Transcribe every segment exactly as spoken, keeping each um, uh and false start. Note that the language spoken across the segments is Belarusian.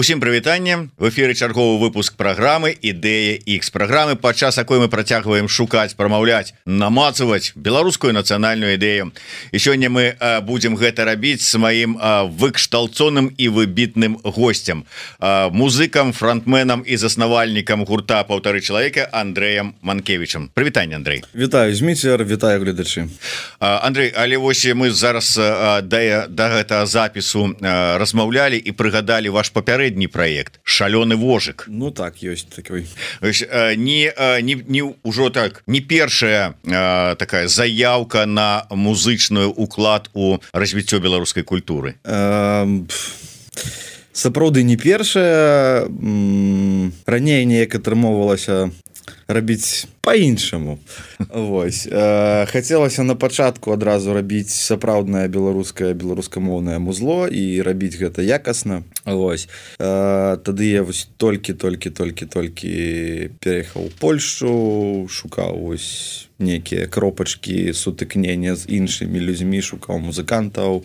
Усім прывітанне, в эфіры чарговы выпуск праграмы ідэя X, праграмы, падчас якой мы працягваем шукаць, прамаўляць, намацаваць беларускую нацыянальную ідэю. І сёння мы а, будзем гэта рабіць з маім а, выкшталцоным і выбітным госцем, а, музыкам, фронтменам і заснавальнікам гурта «Паўтары чалавека» Андрэем Манкевічам. Прывітанне, Андрэй. Вітаю, Зміцер, вітаю, гледачы. А, Андрэй, але вось мы зараз а, да, да гэтага запісу а, размаўлялі і прыгадалі ваш папярэдні проект «Шалёны вожык». Ну так, ёсць такой. Не, не, не ўжо так, не першая а, такая заявка на музычную уклад у развіццё беларускай культуры. Эм, сапраўды не першая. Раней неяк атрымоўвалася рабіць по-іншаму. Вось. Э, хацелася на пачатку адразу рабіць сапраўднае беларускае беларускамоўнае музло і рабіць гэта якасна. Вось. Э, тады я вось толькі-толькі-толькі-толькі пераехаў у Польшчу, шукаў вось нейкія кропачкі сутыкнення з іншымі людзьмі, шукаў музыкантаў,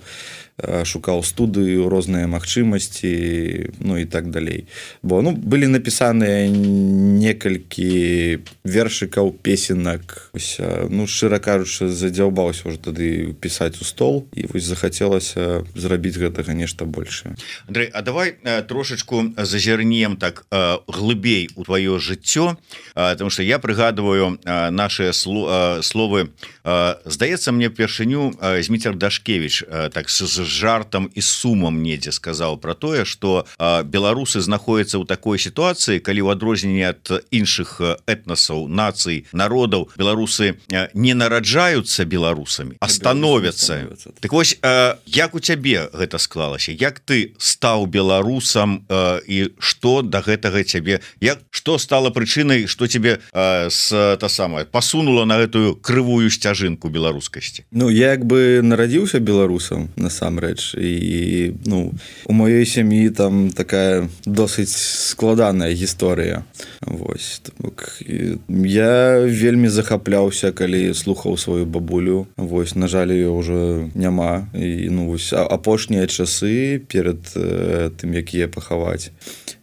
шукаў студыю, розныя магчымасці, ну і так далей. Бо ну былі напісаныя некалькі вершыкаў, песенак. Ось, ну шчыра кажучы, задзяўбаўся ўжо тады пісаць у стол, і вось захацелася зрабіць гэтага нешта большае. Андрэй, а давай трошачку зазірнем так глыбей у твоё жыццё, потому что я прыгадываю наши словы. Здаецца мне першыню Зміцер Дашкевіч так з жартам і сумам недзе сказаў про тое, что беларусы знаходзяцца ў такой сітуацыі, калі ў адрозненне ад іншых этнасаў, нацый, народаў, беларусы не нараджаюцца беларусамі, а становяцца. Так вось, як у цябе гэта склалася? Як ты стаў беларусам і што да гэтага цябе, як што стала прычынай, што тебе с та самае пасунула на гэтую крывую сцяжынку беларускасці? Ну я як бы нарадзіўся беларусам насамрэч, і ну у маёй сям'і там такая досыць складаная гісторыя. Вось так, я вельмі захапляўся, калі слухаў сваю бабулю. Вось, на жаль, ее ўжо няма. І ну вось апошнія часы перад э, тым, як яе пахаваць.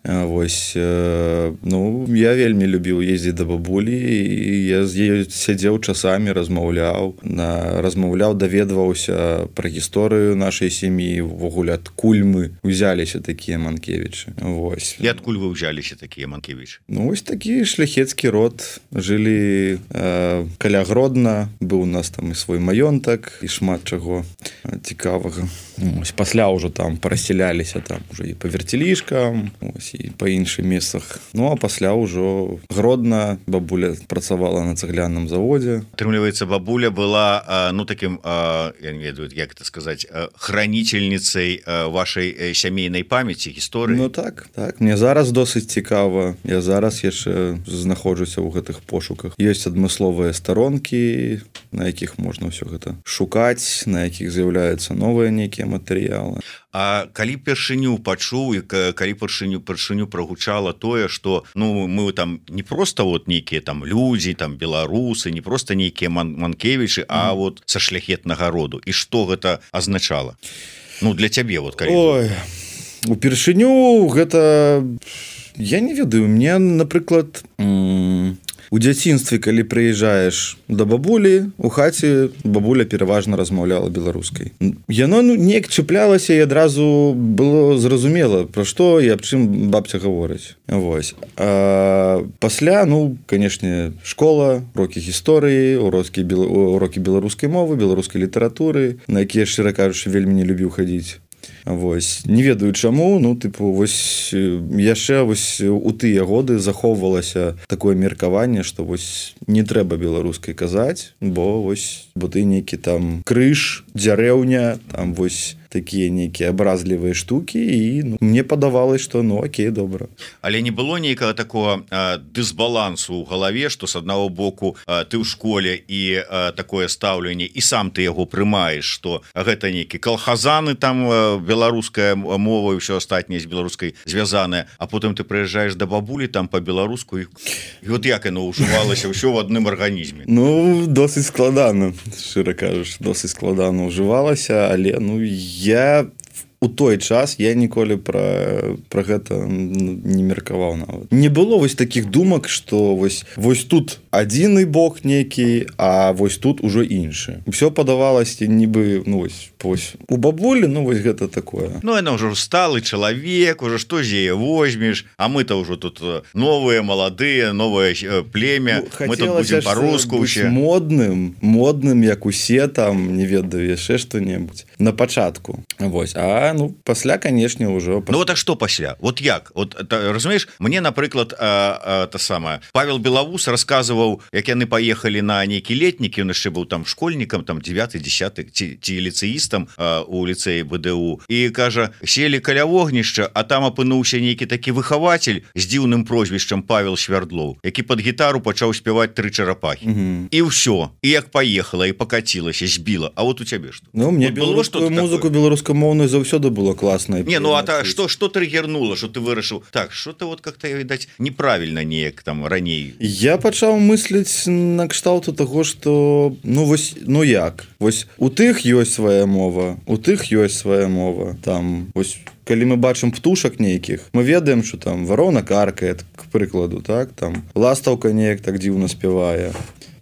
Вось, э, ну я вельмі любіў ездзіць да бабулі, і я з ёй сядзеў часамі, размаўляў, на размаўляў, даведваўся пра гісторыю нашай сям'і, увогуле адкуль мы узяліся такія Манкевічы. Вось. І адкуль вы ўзяліся такія Манкевічы? Ну вось такі шляхецкі род. Жылі э, каля Гродна, быў у нас там і свой маёнтак, і шмат чаго цікавага. Ось, пасля ўжо там парасяляліся там уже і па вярцелішкам, ось, і па іншых месцах. Ну а пасля ўжо Гродна, бабуля працавала на цагляным заводзе. Атрымліваецца, бабуля была ну таким, я не ведаю, як это сказаць, хранительницей вашай сямейнай памяці, гісторыі. Ну так, так. Мне зараз досыць цікава. Я зараз яшчэ знаходжуся ў гэтых пошуках. Ёсць адмысловыя старонкі, на якіх можна ўсё гэта шукаць, на якіх з'яўляюцца новыя нейкія матэрыялы. А калі першыню пачуў і калі першыню першыню прагучала тое, што ну мы там не просто вот нейкія там людзі, там беларусы, не просто нейкія ман Манкевічы, а mm. вот са шляхетнага роду. І што гэта азначала? Ну для цябе вот калі. Ой, упершыню гэта я не ведаю, мне, напрыклад, у дзяцінстве, калі прыязджаеш да бабулі, у хаце бабуля пераважна размаўляла беларускай. Яно ну, неяк чыплялася, і адразу было зразумела, пра што і аб чым бабця гаворыць. Вось. А пасля, ну, канешне, школа, урокі гісторыі, урокі, урокі беларускай мовы, беларускай літаратуры, на якія, шчыра кажучы, вельмі не любіў хадзіць. Вось, не ведаю чаму, ну тыпу вось яшчэ вось у тыя годы захоўвалася такое меркаванне, што вось не трэба беларускай казаць, бо вось бо ты нейкі там крыж, дзярэўня, там вось такія нейкія абразлівыя штукі, і ну, мне падавалось, што ну окей, добра. Але не было нейкага такого а, дысбалансу ў галаве, што з аднаго боку а, ты ў школе і а, такое стаўленне, і сам ты яго прымаеш, што гэта нейкі калхазаны, там а, беларуская мова і ўсё астатняе з беларускай звязанае, а потым ты прыязджаеш да бабулі там па-беларуску, і, і от як яно ўжывалася ўсё ў адным арганізме? Ну, досыць складана, шчыра кажаш, досыць складана ўжывалася, але ну я у той час я ніколі пра, пра гэта не меркаваў нават. Не было вось такіх думак, што вось, вось тут адзіны бог нейкі, а вось тут ужо іншы. Усё падавалася нібы, ну вось, вось у бабулі, ну вось гэта такое. Ну, яна ўжо сталы чалавек, уже што з яе возьмеш, а мы-то ўжо тут новыя, маладыя, новае племя, ну, мы тут будзем па-руску ўсе. Модным, модным, як усе там, не ведаю, яшчэ што-небудзь. На пачатку. Вось. А, ну, пасля, канешне, ўжо... Ну, вот а што пасля? Вот як? Вот, та, разумееш, мне, напрыклад, а, а, та самая, Павел Белавус расказваў, як яны паехалі на нейкі летнік, ён яшчэ быў там школьнікам, там девяты десяты, ці, ці ліцэістам а, у ліцэі БДУ, і кажа, селі каля вогнішча, а там апынуўся нейкі такі выхавацель з дзіўным прозвішчам Павел Швярдлоў, які пад гітару пачаў спяваць тры чарапахі. Угу. І ўсё. І як паехала, і пакацілася, збіла. А вот у цябе што? Ну, мне вот беларускую музыку беларускамоўную заўсёды было класна. Не, ну а та, што, што трыгернула, што ты вырашыў? Так, што-то вот как-то, відаць, неправільна неяк там раней. Я пачаў мысліць на кшталту таго, што, ну, вось, ну як? Вось у тых ёсць свая мова, у тых ёсць свая мова. Там, вось, калі мы бачым птушак нейкіх, мы ведаем, што там варона каркае, к прыкладу, так? Там ластаўка неяк так дзіўна спявае.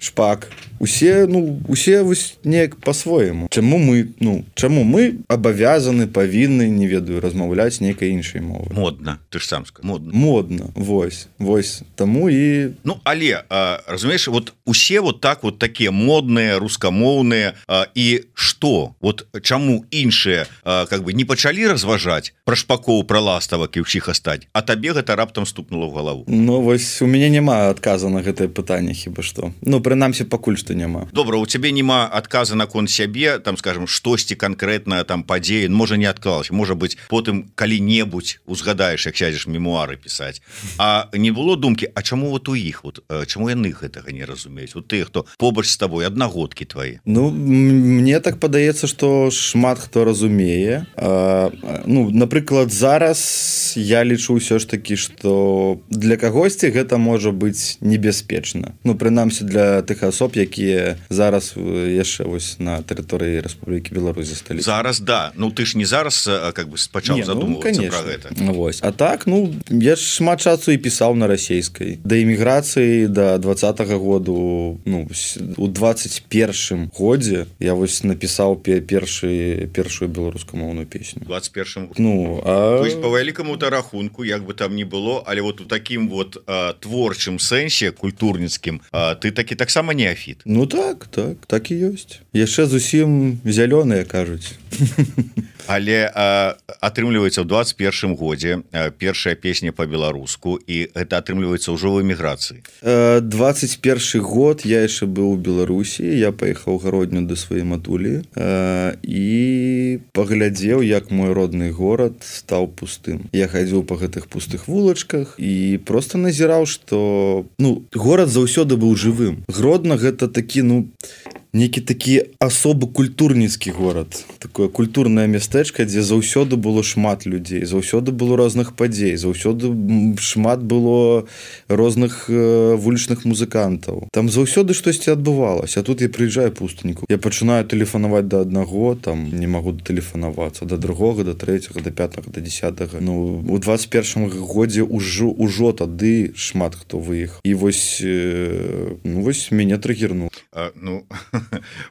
Шпак. Усе, ну, усе вось неяк по-свойму. Чаму мы, ну, чаму мы абавязаны, павінны, не ведаю, размаўляць нейкай іншай мовы? Модна, ты ж сам сказал. Модна. Модна, вось, вось. Таму і... Ну, але, а, разумееш, вот усе вот так вот такія модныя, рускамоўныя, а, і што? Вот чаму іншыя, а, как бы, не пачалі разважаць пра шпакоў, пра ластавак і ўсіх астаць, а табе гэта раптам стукнула ў галаву? Ну, вось, у мяне няма адказа на гэтае пытанне, хіба што. Ну, прынамсі, пакуль што няма. Добра, у цябе няма адказа наконт сябе, там, скажем, штосьці канкрэтна там падзеі, можа не адклалася, можа быць, потым калі-небудзь узгадаеш, як сядзеш мемуары пісаць. А не было думкі, а чаму вот у іх, вот, чаму яны гэтага не разумеюць? Вот ты, хто побач з табой, аднагодкі твае. Ну, мне так падаецца, што шмат хто разумее. А, ну, напрыклад, зараз я лічу ўсё ж такі, што для кагосьці гэта можа быць небяспечна. Ну, прынамсі для тых асоб, які зараз яшчэ вось на тэрыторыі Рэспублікі Беларусь засталіся. Зараз, да. Ну, ты ж не зараз как бы пачаў не, задумвацца ну, пра гэта. Вось. А так, ну, я ж шмат часу і пісаў на расейскай. Да эміграцыі да двадцатага году, ну, у двадцать першым годзе я вось напісаў першы, першую беларускамоўную песню. двадцать першым годзе. Ну, а... То есть, по вялікаму-то рахунку, як бы там ни было, але вот у такім вот а, творчым сэнсе, культурніцкім, а, ты такі таксама неафіт. Ну так, так, так і ёсць. Яшчэ зусім зялёныя, кажуць. Але а, атрымліваецца ў двадцать першым годзе а, першая песня па-беларуску, і гэта атрымліваецца ўжо ў эміграцыі. двадцать першы год я яшчэ быў у Беларусі, я паехаў гародню да сваёй матулі а, і паглядзеў, як мой родны горад стаў пустым. Я хадзіў па гэтых пустых вулачках і проста назіраў, што, ну, горад заўсёды быў жывым. Гродна гэта такі, ну, нейкі такі асобы культурніцкі горад, такое культурнае мястэчка, дзе заўсёды было шмат людзей, заўсёды было розных падзей, заўсёды шмат было розных э, вулічных музыкантаў. Там заўсёды штосьці адбывалася, а тут я прыязджаю пустынніку. Я пачынаю тэлефанаваць да аднаго, там не магу тэлефанавацца, да другога, да трэцяга, да пятага, да десятага. Ну, у двадцать першым годзе ўжо, ўжо тады шмат хто выехаў. І вось, э, ну, вось мяне трыгернула. А, ну...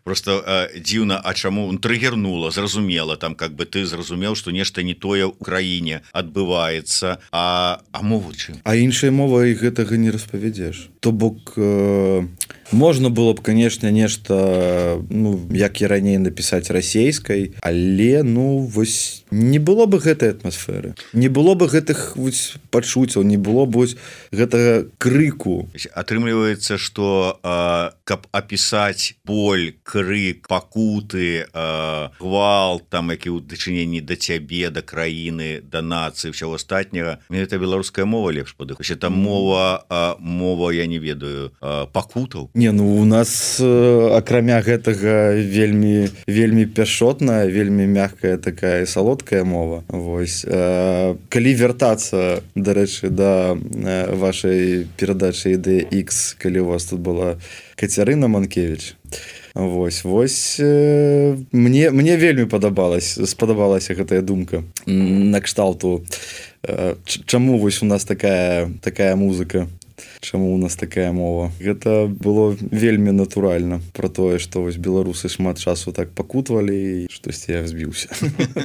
Просто а, дзіўна, а чаму он трыгернула, зразумела, там как бы ты зразумеў, што нешта не тое ў краіне адбываецца, а, а мову чым? А іншай мовай гэтага не распавядзеш. То бок э, можна было б, канешне, нешта, ну, як і раней напісаць расейскай, але, ну, вось не было бы гэтай атмасферы, не было бы гэтых вось пачуццяў, не было б вось гэтага крыку. Атрымліваецца, што а, каб апісаць боль, крык, пакуты, а, гвалт, там, які ў дачыненні да цябе, да краіны, да нацыі, ўсяго астатняга, мне гэта беларуская мова лепш падыходзіць. Там мова, а, мова, я не ведаю, а, пакутаў. Не, ну, у нас э, акрамя гэтага вельмі, вельмі пяшотная, вельмі мяккая такая салодкая мова. Вось. Э, калі вяртацца, дарэчы, да э, вашай перадачы Ідэя Ікс, калі у вас тут была Кацярына Манкевіч, Вось вось э, мне мне вельмі падабалась спадабалася гэтая думка на кшталту э, чаму вось у нас такая такая музыка, чаму у нас такая мова. Гэта было вельмі натуральна про тое, што вось беларусы шмат часу так пакутвалі, штосьці я збіўся.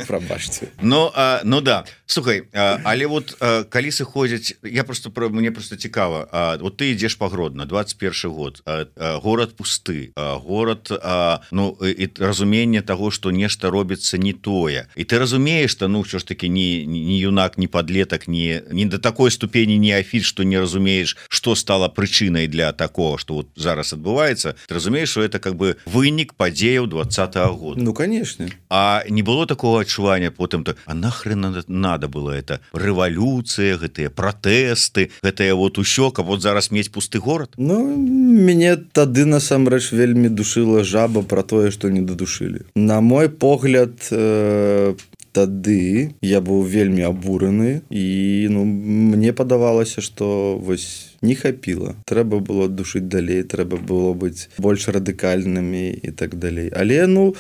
Прабачце. Ну а, ну да, слухай, а, але вот а, калі сыходзяць, я просто про мне просто цікава. А, вот ты ідзеш па Гродно, двадцать першы год, а, а, горад пусты, а, горад а, ну і разуменне таго, што нешта робіцца не тое. І ты разумееш, што ну ўсё ж таки не не юнак, не падлетак, не не да такой ступені неафіт, што не разумееш, что стало причиной для такого, что вот зараз отбывается, ты разумеешь, что это как бы вынік падзеяў двадцатого года. Ну, конечно. А не было такого адчування потым, то, а нахрен надо, надо было это? Рэвалюцыя, гэтыя пратэсты, гэтае вот усё, каб вот зараз мець пусты горад? Ну, мяне тады насамрэч вельмі душыла жаба про тое, што не дадушылі. На мой погляд, э тады я быў вельмі абураны і ну мне падавалася, што вось не хапіла, трэба было душыць далей, трэба было быць больш радыкальнымі і так далей, але ну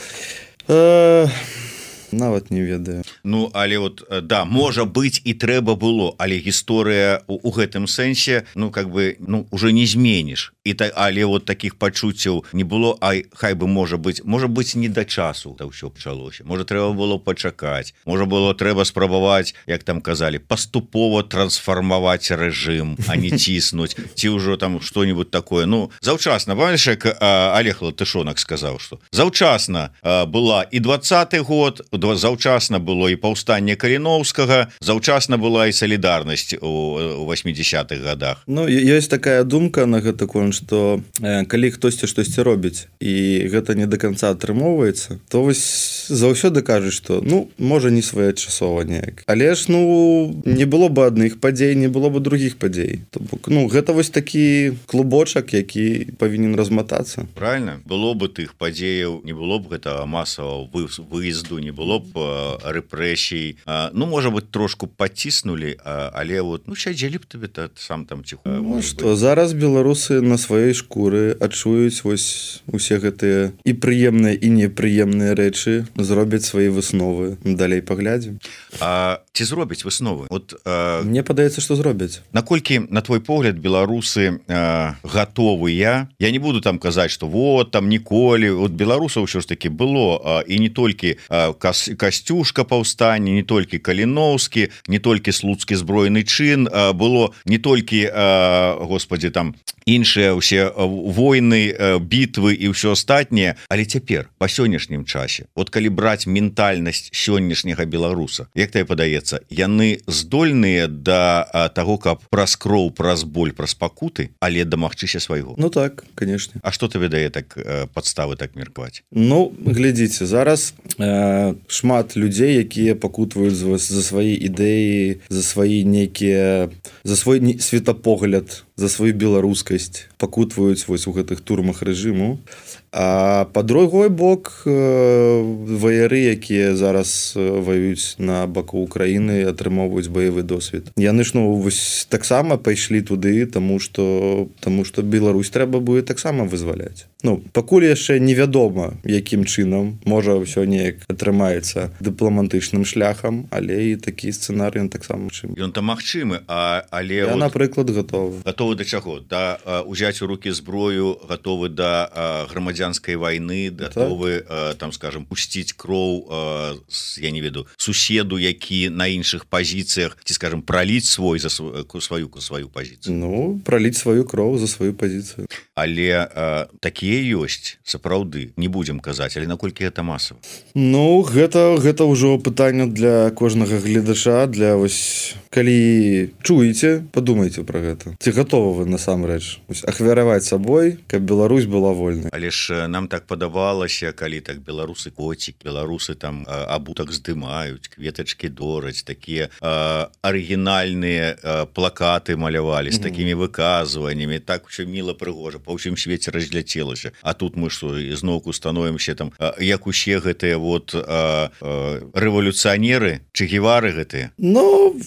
э нават не ведаю. Ну але вот да, можа быць і трэба было, але гісторыя у, у гэтым сэнсе ну как бы ну уже не зменіш. І та, але вот таких пачуццяў не было, а хай бы можа быць можа быць не да часу та ўсё пачалося. Можа трэба было пачакаць, можа было трэба спрабаваць, як там казалі, паступова трансфармаваць рэжым, а не ціснуць ці ўжо там што-нибудь такое. Ну заўчасна, памятаеш, як Олег Латышонак сказаў, што заўчасна была і двадцаты год, заўчасна было і паўстанне Каліноўскага, заўчасна была і салідарнасць у восьмідзесятых годах. Ну ёсць такая думка на гэта конт, што э, калі хтосьці штосьці робіць і гэта не до конца атрымоўваецца, то вось заўсёды кажуць, што ну можа не своечасова неяк, але ж ну не было бы адных падзей, не было бы других падзей. То бок ну гэта вось такі клубочак, які павінен разматацца. Правильно, было бы тых падзеяў, не было б гэтага масавага выезду, не было б рэпрэсій. Ну можа быть трошку паціснулі, але вот ну сядзелі б табе сам там ціху. Ну што зараз беларусы на сваёй шкуры адчуюць вось усе гэтыя і прыемныя і непрыемныя рэчы, зробяць свае высновы, далей паглядзім. А ці зробяць высновы? Вот а... мне падаецца, што зробяць. Наколькі на твой погляд беларусы а, гатовыя? Я не буду там казаць, што вот там ніколі, вот беларусаў ўсё ж таки было а, і не толькі а, кас, Касцюшка паўстанне, не толькі Каліноўскі, не толькі слуцкі збройны чын, а, было не толькі а, господі там іншыя ўсе войны, бітвы і ўсё астатняе, але цяпер па сённяшнім часе, вот калі браць ментальнасць сённяшняга беларуса, як тебе падаецца, яны здольныя да таго, каб праз кроў, праз боль, праз пакуты, але дамагчыся свайго? Ну так, конечно. А што тебе дае так падставы так меркаваць? Ну глядзіце, зараз э, шмат людзей, якія пакутваюць за, за свае ідэі, за свае нейкія, за свой светапогляд, за сваю беларускасць, пакутваюць вось у гэтых турмах рэжыму. А па другой бок ваяры, якія зараз ваююць на баку Украіны, атрымоўваюць баявы досвед. Яны ж ну вось таксама пайшлі туды, таму што таму што Беларусь трэба будзе таксама вызваляць. Ну пакуль яшчэ невядома, якім чынам, можа ўсё неяк атрымаецца дыпламатычным шляхам, але і такі сцэнарый таксама чым. Ён там магчымы, а але я вот... напрыклад гатовы. Гатовы да чаго? Да узяць у рукі зброю, гатовы да грамадзянскай вайны, гатовы так. там скажем пусціць кроў, я не веду, суседу, які на іншых пазіцыях, ці скажем праліць свой за сваю сваю пазіцыю. Ну праліць сваю кроў за сваю пазіцыю. Але а, такія ёсць сапраўды, не будзем казаць, але наколькі гэта масава? Ну гэта гэта ўжо пытанне для кожнага гледача, для вось калі чуеце, падумайце пра гэта. Ці гатовы вы насамрэч ахвяраваць сабой, каб Беларусь была вольнай? Але ж нам так падавалася, калі так беларусы коцік, беларусы там абутак здымаюць, кветачкі дораць, такія а, арыгінальныя а, плакаты малявалі з такімі выказваннямі, так усё міла прыгожа, па ўсім свеце разляцелася. А тут мы што зноўку становімся там, а, як усе гэтыя вот а, а, рэвалюцыянеры, Че Гевары гэтыя? Ну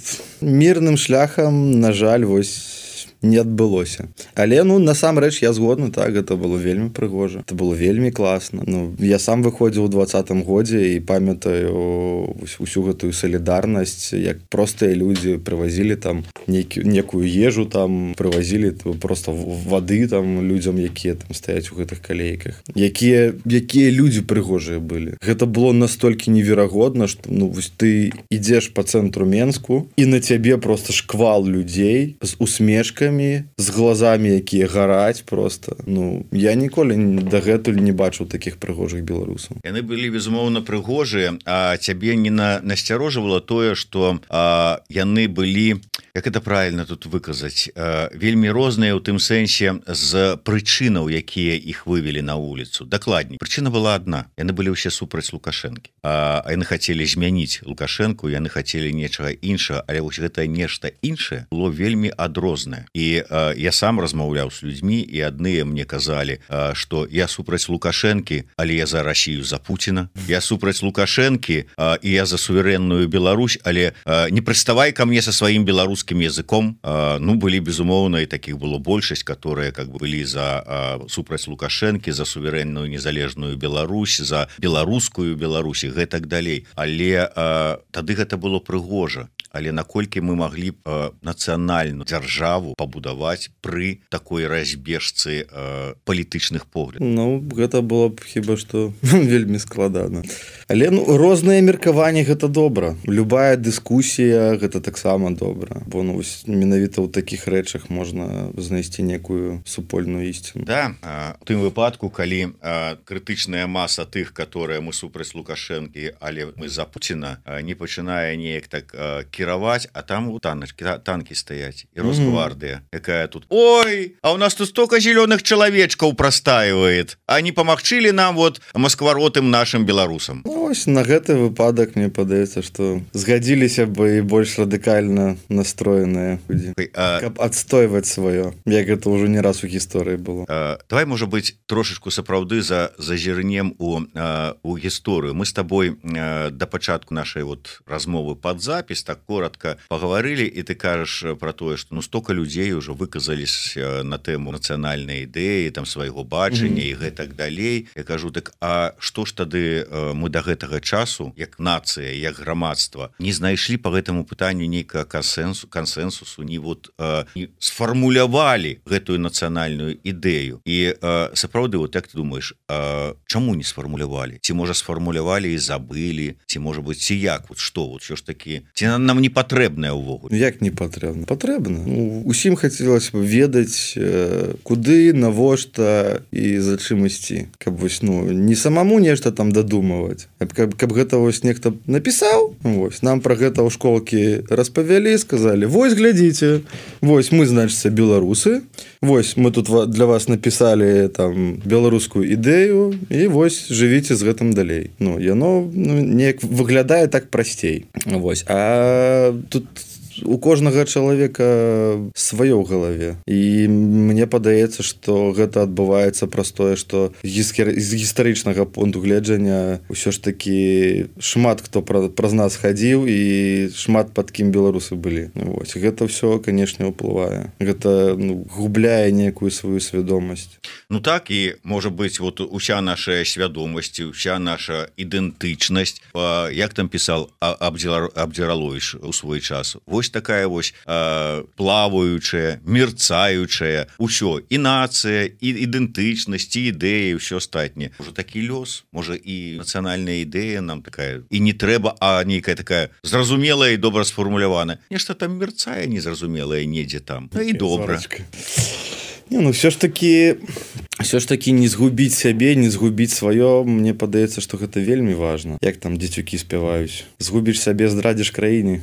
мірным шляхам, на жаль, вось не адбылося. Але ну насамрэч я згодны, так, гэта было вельмі прыгожа, это было вельмі класна. Ну я сам выходзіў у двадцатым годзе і памятаю усю гэтую салідарнасць, як простыя людзі прывазілі там нейкі, некую ежу, там прывазілі просто вады там людзям, якія там стаяць у гэтых калейках, якія якія людзі прыгожыя былі. Гэта было настолькі неверагодна, што ну вось ты ідзеш по цэнтру Менску і на цябе просто шквал людзей з усмешкамі, з глазамі, якія гараць просто. Ну я ніколі дагэтуль не бачыў такіх прыгожых беларусаў. Яны былі безумоўна прыгожыя, а цябе не на насцярожвала тое, што а, яны былі, як это правильно тут выказаць, а, вельмі розныя ў тым сэнсе з прычынаў, якія іх вывелі на вуліцу. Дакладней, прычына была адна. Яны былі ўсе супраць Лукашэнкі. А, а яны хацелі змяніць Лукашэнку, яны хацелі нечага іншага, але вось гэта нешта іншае было вельмі адрознае. І а, я сам размаўляў з людзьмі, і адныя мне казалі, а, што я супраць Лукашэнкі, але я за Расію, за Пуціна. Я супраць Лукашэнкі, а, і я за суверенную Беларусь, але а, не прыставай ко мне со сваім беларускім языком. А, ну, былі, безумоўна, і такіх было большасць, которые как бы былі за а, супраць Лукашэнкі, за суверенную незалежную Беларусь, за беларускую Беларусь і гэтак далей. Але а, тады гэта было прыгожа. Але наколькі мы маглі б а, нацыянальную дзяржаву пабудаваць пры такой разбежцы а, палітычных поглядаў? Ну, гэта было б хіба што вельмі складана. Але ну, розныя меркаванні гэта добра. Любая дыскусія гэта таксама добра. Бо ну, менавіта ў такіх рэчах можна знайсці некую супольную ісціну. Да, а, у тым выпадку, калі а, крытычная маса тых, которые мы супраць Лукашэнкі, але мы за Пуціна, а, не пачынае неяк так а, кіраваць, а там у таночки, танкі стаяць і Росгвардыя, mm-hmm. якая тут: ой, а у нас тут столько зеленых чалавечкаў прастаивает, а не памагчылі нам вот маскваротым нашим беларусам. Ну, ось на гэты выпадак мне падаецца, што згадзіліся бы і больш радыкальна настроеныя людзі, а... каб адстойваць сваё, як гэта ўжо не раз у гісторыі было. А, давай, можа быць, трошечку сапраўды за зазірнем у, а, у гісторыю. Мы з табой а, да пачатку нашай вот размовы пад запіс так коротко паговорили, і ты кажаш про тое, што ну столько людзей уже выказались на тэму нацыянальнай ідэі, там свайго бачання mm-hmm. і гэтак далей. Я кажу, так а што ж тады мы да гэтага часу, як нацыя, як грамадства, не знайшлі по гэтаму пытанню нейкага кансенсу, кансенсусу, не вот а, не сфармулявалі гэтую нацыянальную ідэю. І а, сапраўды, вот як ты думаеш, а, чаму не сфармулявалі? Ці можа сфармулявалі і забылі? Ці можа быць, ці як? Вот што, вот що ж такі? Ці нам не патрэбная ўвогуле? Як не патрэбна? Патрэбна. Ну, усім хацелася б ведаць, куды, навошта і за чым ісці. Каб вось, ну, не самому нешта там дадумаваць, а каб, каб гэта вось нехта напісаў, вось, нам пра гэта ў школкі распавялі, сказалі: вось, глядзіце, вось мы, значыцца, беларусы, вось мы тут для вас напісалі там беларускую ідэю, і вось жывіце з гэтым далей. Ну, яно ну, неяк выглядае так прасцей. Вось. А тут у кожнага чалавека сваё ў галаве. І мне падаецца, што гэта адбываецца праз тое, што з гістарычнага пункту гледжання ўсё ж такі шмат хто праз нас хадзіў і шмат пад кім беларусы былі. Вось. Гэта ўсё, канешне, ўплывае. Гэта ну, губляе некую сваю свядомасць. Ну так, і можа быць вот уся наша свядомасць, уся наша ідэнтычнасць, як там пісаў Абдзіраловіч у свой час. Вось такая вось э, плаваючая, мерцаючая, усё, і нацыя, і ідэнтычнасць, і ідэі, ўсё астатняе. Можа такі лёс, можа і нацыянальная ідэя нам такая, і не трэба, а нейкая такая зразумелая і добра сфармуляваная. Нешта там мерцае незразумелае недзе там. Ну і добра. Не, ну все ж таки все ж таки не згубіць сябе, не згубіць сваё, мне падаецца, што гэта вельмі важна. Як там дзецюкі спяваюць: згубіш сябе, здрадзіш краіне,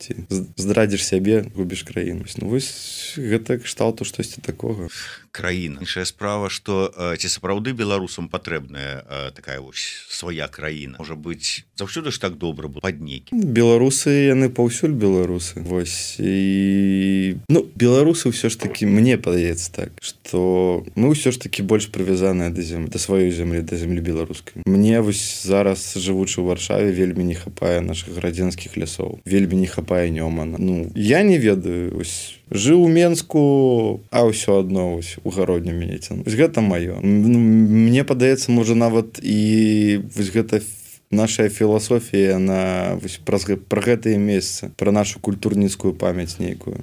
ці здрадзіш сябе, губіш краіну. Ну вось гэта кшталту штосьці такога. Краіна. Іншая справа, што ці сапраўды беларусам патрэбная такая вось свая краіна. Можа быць, заўсёды ж так добра было пад нейкім. Беларусы, яны паўсюль беларусы. Вось. І ну беларусы ўсё ж таки, мне падаецца так, што мы ўсё ж таки таки больш прывязаная да зем да сваёй зямлі, да зямлі беларускай. Мне вось зараз, жывучы ў Варшаве, вельмі не хапае нашых градзенскіх лясоў, вельмі не хапае Нёмана. Ну я не ведаю, вось жыў у Менску, а ўсё адно вось у гародню мяне цяну. Вось гэта маё. Ну, мне падаецца, можа нават і вось гэта наша філасофія на вось, пра, пра гэтае месца, пра нашу культурніцкую памяць нейкую.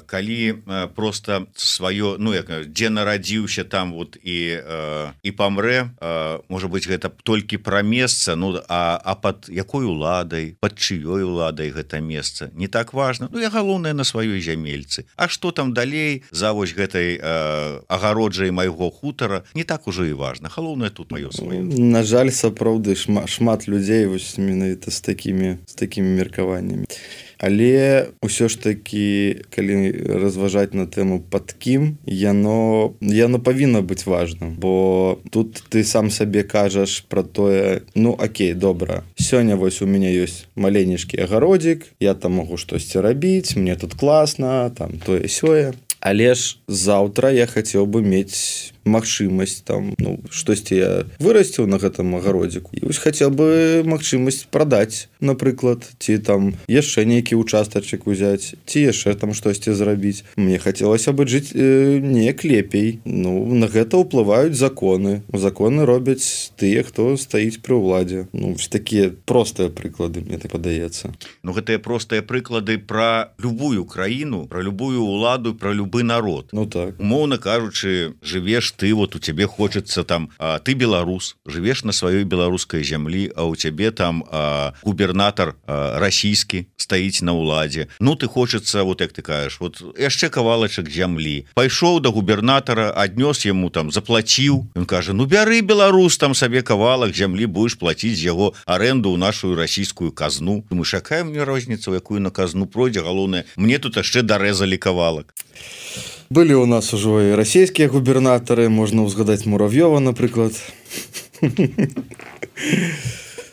Калі просто сваё, ну як дзе нарадзіўся там вот і і памрэ, можа быць гэта толькі пра месца, ну а, а пад якой уладай, пад чыёй уладай гэта месца не так важна. Ну я галоўнае на сваёй зямельцы. А што там далей за вось гэтай агароджай майго хутара, не так ужо і важна. Галоўнае тут маё сваё. На жаль, сапраўды шмат, шмат людзей вось менавіта з такімі з такімі меркаваннямі. Але ўсё ж такі, калі разважаць на тэму пад кім, яно яно павінна быць важным, бо тут ты сам сабе кажаш пра тое, ну окей, добра, сёння вось у мяне ёсць маленечкі агародзік, я там магу штосьці рабіць, мне тут класна, там тое-сёе. Але ж заўтра я хацеў бы мець магчымасць там, ну, штосьці я вырасціў на гэтым агародзіку. І вось хацеў бы магчымасць прадаць, напрыклад, ці там яшчэ нейкі участачак узяць, ці яшчэ там штосьці зрабіць. Мне хацелася бы жыць э, неяк лепей. Ну, на гэта ўплываюць законы. Законы робяць тыя, хто стаіць пры ўладзе. Ну, вось такія простыя прыклады, мне так падаецца. Ну, гэтыя простыя прыклады пра любую краіну, пра любую ўладу, пра любы народ. Ну так. Умоўна кажучы, жывеш ты, вот у цябе хочется там, а, ты беларус, жывеш на сваёй беларускай зямлі, а у цябе там а, губернатар а, расійскі стаіць на ўладзе. Ну ты хочется, вот як ты кажаш, вот яшчэ кавалачак зямлі. Пайшоў да губернатара, аднёс яму там, заплаціў. Ён кажа, ну бяры, беларус, там сабе кавалак зямлі, будеш плаціць з яго аренду ў нашу расійскую казну. Думаеш, якая мне розніца, у якую на казну пройдзе, галоўнае, мне тут яшчэ дарэзалі кавалак. Былі ў нас ужо і расійскія губернатары, можна ўзгадаць Мурав'ёва, напрыклад.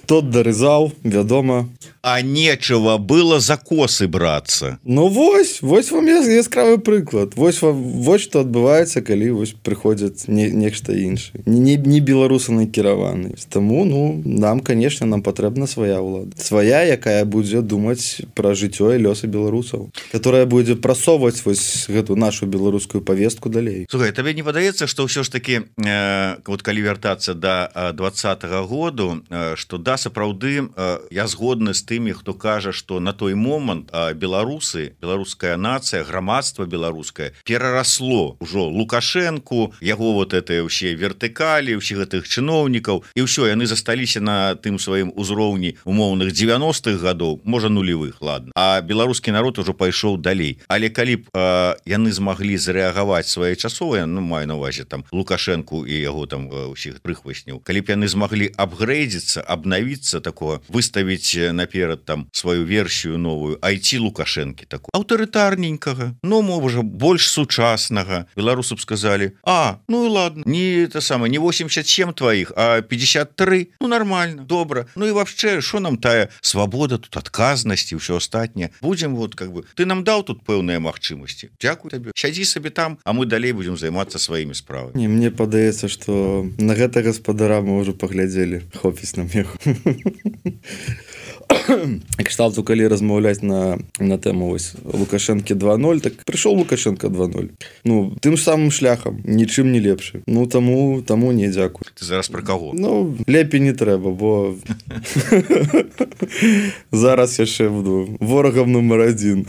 Тот дарызаў, вядома. А нечего было за косы брацца. Ну вось, вось вам яскравы прыклад. Вось вам, вось што адбываецца, калі вось прыходзяць не, нешта іншае. Не, не беларусы накіраваны. Таму, ну, нам, конечно, нам патрэбна свая ўлада. Свая, якая будзе думаць пра жыццё і лёсы беларусаў. Которая будзе прасоўваць вось гэту нашу беларускую павестку далей. Слухай, табе не падаецца, што ўсё ж такі, э, вот калі вяртацца да двадцатага году, э, што да, сапраўды, э, я згодны з тымі, хто кажа, што на той момант беларусы, беларуская нацыя, грамадства беларускае перарасло ўжо Лукашэнку, яго вот это ўсе вертыкалі, ўсіх гэтых чыноўнікаў, і ўсё, яны засталіся на тым сваім узроўні умоўных дзевяностых гадоў, можа нулевых, ладно. А беларускі народ ужо пайшоў далей. Але калі б э, яны змаглі зрэагаваць своечасова, ну маю на увазе там Лукашэнку і яго там усіх прыхвасняў, калі б яны змаглі апгрэйдзіцца, абнавіцца такого, выставіць наперад там сваю версію новую, айці Лукашэнкі такую аўтарытарненькага, ну можа больш сучаснага. Беларусы б сказалі, а, ну і ладно, не это самае, не восемьдесят семь твоих, а пятьдесят три, ну нормально, добра. Ну і вообще, що нам тая свабода, тут адказнасць і ўсё астатняе. Будзем вот как бы, ты нам даў тут пэўныя магчымасці. Дзякуй табе. Сядзі сабе там, а мы далей будзем займацца сваімі справамі. Не, мне падаецца, што на гэта гаспадара мы ўжо паглядзелі. Хопіць нам яго. Кшталту, калі размаўляць на, на тэму вось Лукашэнкі два ноль, так прыйшоў Лукашенко два ноль. Ну, тым самым шляхам, нічым не лепшы. Ну, таму, таму не дзякуй. Ты зараз пра каго? Ну, лепей не трэба, бо зараз яшчэ буду ворагам нумар адзін,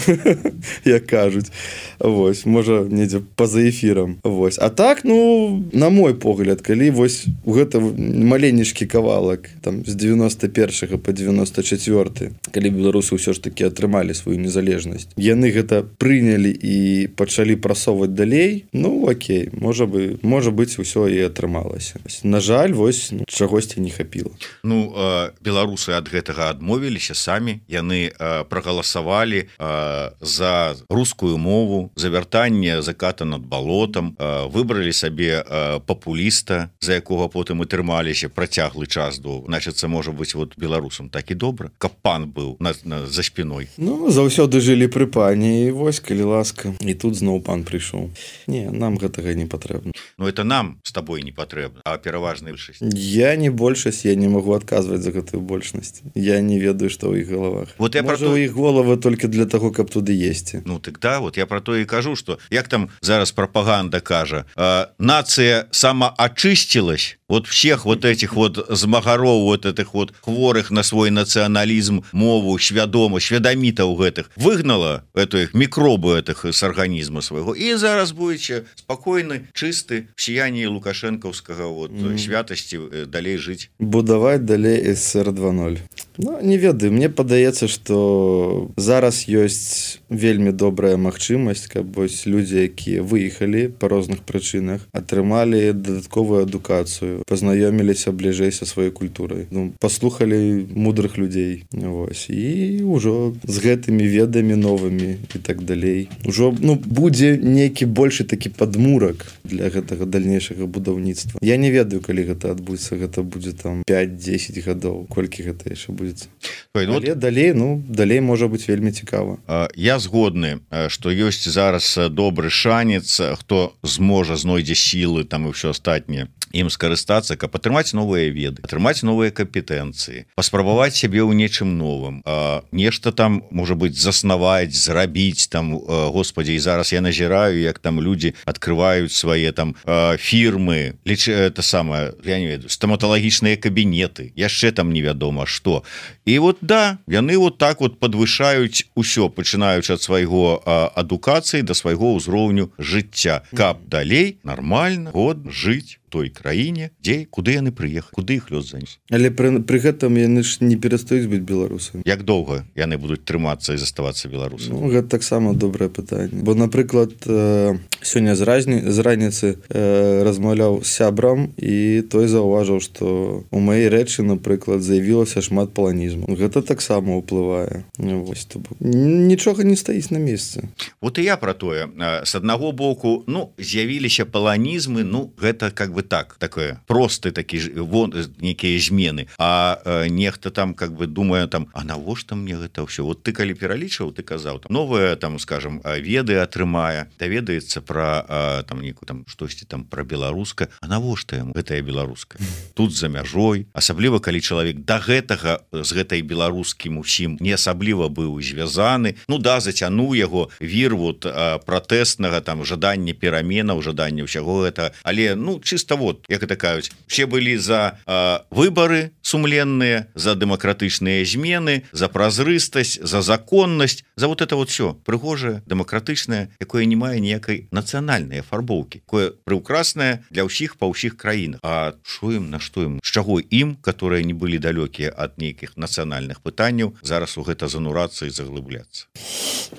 як кажуць. Вось, можа, недзе па-за эфірам. Вось. А так, ну, на мой погляд, калі вось у гэта маленечкі кавалак там з девяносто першага па девяносто четвёрты, калі беларусы ўсё ж такі атрымалі сваю незалежнасць, яны гэта прынялі і пачалі прасоўваць далей, ну окей, можа бы, можа быць, усё і атрымалася. На жаль, вось ну, чагосьці не хапіла. Ну, э, беларусы ад гэтага адмовіліся самі, яны э, прагаласавалі э, за рускую мову, за вяртанне заката над балотам, э, выбралі сабе э, папуліста, за якога потым і трымаліся працяглы час до, значыцца, можа быць, вот беларусам так і добра. каб пан быў на, на, за спиной. Ну заўсёды жылі пры пані і вось калі ласка і тут зноў пан прыйшоў. Не, нам гэтага не патрэбна. Ну это нам с тобой не патрэбна, а пераважная большасць. Я не большасць, я не могу адказваць за гэтую большасць. Я не ведаю, што ў іх галавах. Вот я Можа, про то... у іх головы толькі для таго, каб туды есці. Ну так да, вот я про то і кажу, што як там зараз прапаганда кажа, э, нацыя самаачысцілась, вот всех вот этих вот змагароў, вот этих вот хворых на свой национализм, мову, свядома, свядамітаў гэтых, выгнала этих микробы этих с организма своего, и зараз будете спокойны, чисты в сиянии лукашэнкаўскага вот mm. святости далей жить. Будаваць далей СССР два ноль. Ну, не ведаю, мне падаецца, што зараз ёсць вельмі добрая магчымасць, каб вось людзі, якія выехалі па розных прычынах, атрымалі дадатковую адукацыю, пазнаёміліся бліжэй са сваёй культурай, ну, паслухалі мудрых людзей, вось, і ўжо з гэтымі ведамі новымі і так далей. Ужо, ну, будзе нейкі большы такі падмурак для гэтага дальнейшага будаўніцтва. Я не ведаю, калі гэта адбудзецца, гэта будзе там пяць-дзесяць гадоў, колькі гэта яшчэ будзе. Ой, ну, але вот... далей, ну, далей можа быць вельмі цікава. Я згодны, што ёсць зараз добры шанец, хто зможа знойдзе сілы там і ўсё астатняе ім скарыстацца, каб атрымаць новыя веды, атрымаць новыя кампетэнцыі, паспрабаваць сябе ў нечым новым, а, нешта там, можа быць, заснаваць, зрабіць там, а, господі, і зараз я назіраю, як там людзі адкрываюць свае там а, фірмы, ліч это самае, я не ведаю, стаматалагічныя кабінеты, яшчэ там невядома што. І вот да, яны вот так вот падвышаюць усё, пачынаючы ад свайго а, адукацыі да свайго ўзроўню жыцця, каб далей нармальна год жыць той краіне, дзе куды яны прыехалі, куды іх лёс занес. Але пры, пры гэтым яны ж не перастаюць быць беларусамі. Як доўга яны будуць трымацца і заставацца беларусамі? Ну, гэта таксама добрае пытанне. Бо, напрыклад, э, сёння з, разні, з раніцы э, размаўляў з сябрам, і той заўважыў, што у маёй рэчы, напрыклад, заявілася шмат паланізму. Гэта таксама ўплывае. Вось, то бок. Нічога не стаіць на месцы. Вот і я пра тое. С аднаго боку, ну, з'явіліся паланізмы, ну, гэта как бы так, такое просты такі вон нейкія змены, а э, нехта там как бы думае там, а навошта мне гэта ўсё? Вот ты калі пералічваў, ты казаў там новыя там, скажем, веды атрымае, даведаецца пра э, там нейку там штосьці там пра беларуска, а навошта яму гэтая беларуска? Тут за мяжой, асабліва калі чалавек да гэтага з гэтай беларускім усім не асабліва быў звязаны, ну да, зацянуў яго вір вот э, пратэснага там жадання пераменаў, жадання ўсяго гэта, але ну чисто вот, як это кажуць, все былі за э, выборы сумленныя, за дэмакратычныя змены, за празрыстасць, за законнасць, за вот это вот все прыгожае, дэмакратычнае, якое не мае ніякай нацыянальнай афарбоўкі, якое прыўкраснае для ўсіх па ўсіх краінах. А шо ім, на што ім, з чаго ім, которые не былі далёкія ад нейкіх нацыянальных пытанняў, зараз у гэта занурацца і заглыбляцца?